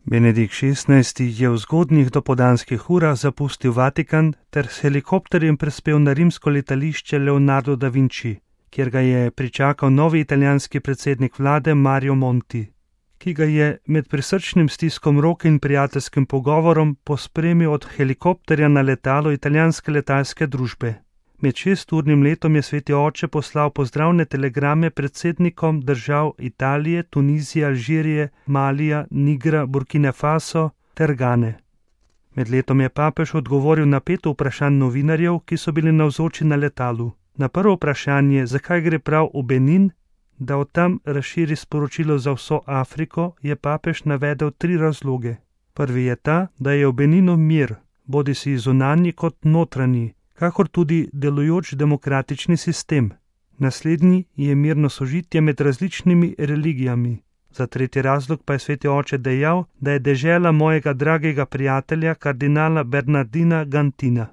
Benedikt XVI. Je v zgodnjih dopoldanskih urah zapustil Vatikan ter s helikopterjem prispel na rimsko letališče Leonardo da Vinci, kjer ga je pričakal novi italijanski predsednik vlade Mario Monti, ki ga je med prisrčnim stiskom roke in prijateljskim pogovorom pospremil od helikopterja na letalo italijanske letalske družbe. Med 6-urnim letom je sveti oče poslal pozdravne telegrame predsednikom držav Italije, Tunizije, Alžirije, Malija, Nigra, Burkine Faso ter Gane. Med letom je papež odgovoril na 5 vprašanj novinarjev, ki so bili navzoči na letalu. Na prvo vprašanje, zakaj gre prav v Benin, da od tam razširi sporočilo za vso Afriko, je papež navedel 3 razloge. Prvi je ta, da je v Beninu mir, bodisi zunanji kot notranji, kakor tudi delujoč demokratični sistem. Naslednji je mirno sožitje med različnimi religijami. Za tretji razlog pa je sveti oče dejal, da je dežela mojega dragega prijatelja, kardinala Bernardina Gantina.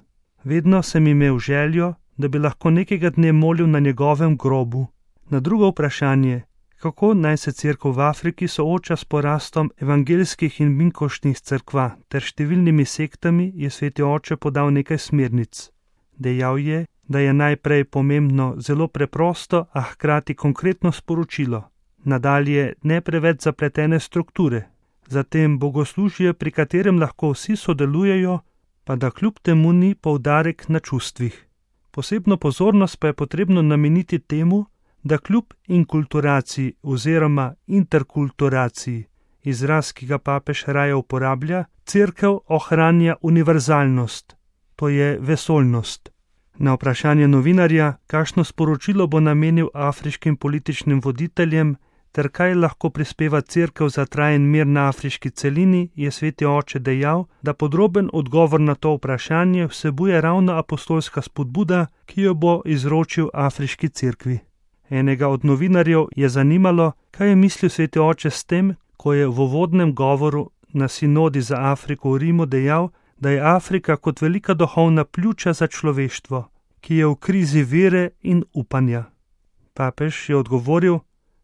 Vedno sem imel željo, da bi lahko nekega dne molil na njegovem grobu. Na drugo vprašanje, kako naj se cerkev v Afriki sooča s porastom evangeljskih in minkoštnih cerkva ter številnimi sektami, je sveti oče podal nekaj smernic. Dejal je, da je najprej pomembno zelo preprosto, a hkrati konkretno sporočilo. Nadalje ne preveč zapletene strukture. Zatem bogoslužje, pri katerem lahko vsi sodelujejo, pa da kljub temu ni poudarek na čustvih. Posebno pozornost pa je potrebno nameniti temu, da kljub inkulturaciji oziroma interkulturaciji, izraz, ki ga papež raje uporablja, cerkev ohranja univerzalnost, to je vesoljnost. Na vprašanje novinarja, kakšno sporočilo bo namenil afriškim političnim voditeljem ter kaj lahko prispeva cerkev za trajen mir na afriški celini, je sveti oče dejal, da podroben odgovor na to vprašanje vsebuje ravno apostolska spodbuda, ki jo bo izročil afriški cerkvi. Enega od novinarjev je zanimalo, kaj je mislil sveti oče s tem, ko je v uvodnem govoru na sinodi za Afriko v Rimu dejal, da je Afrika kot velika duhovna pljuča za človeštvo, ki je v krizi vere in upanja. Papež je odgovoril,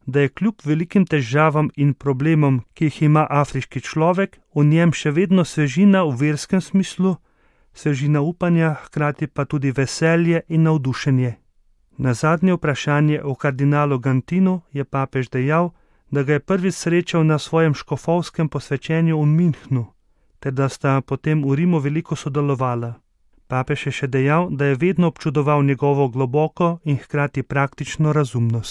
da je kljub velikim težavam in problemom, ki jih ima afriški človek, v njem še vedno svežina v verskem smislu, svežina upanja, hkrati pa tudi veselje in navdušenje. Na zadnje vprašanje o kardinalu Gantinu je papež dejal, da ga je prvič srečal na svojem škofovskem posvečenju v Münchnu, ter da sta potem v Rimu veliko sodelovala. Papež je še dejal, da je vedno občudoval njegovo globoko in hkrati praktično razumnost.